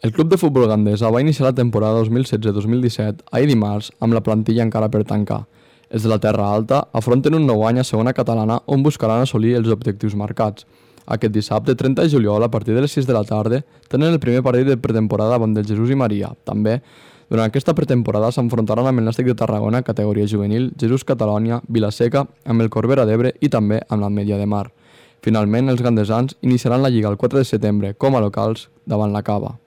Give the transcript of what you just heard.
El club de futbol Gandesa va iniciar la temporada 2016-2017 ahir dimarts amb la plantilla encara per tancar. Els de la Terra Alta afronten un nou any a segona catalana on buscaran assolir els objectius marcats. Aquest dissabte, 30 de juliol, a partir de les 6 de la tarda, tenen el primer partit de pretemporada davant del Jesús i Maria. També, durant aquesta pretemporada s'enfrontaran amb el Nàstic de Tarragona, categoria juvenil, Jesús Catalònia, Vilaseca, amb el Corbera d'Ebre i també amb l'Ametlla de Mar. Finalment, els gandesans iniciaran la Lliga el 4 de setembre com a locals davant la Cava.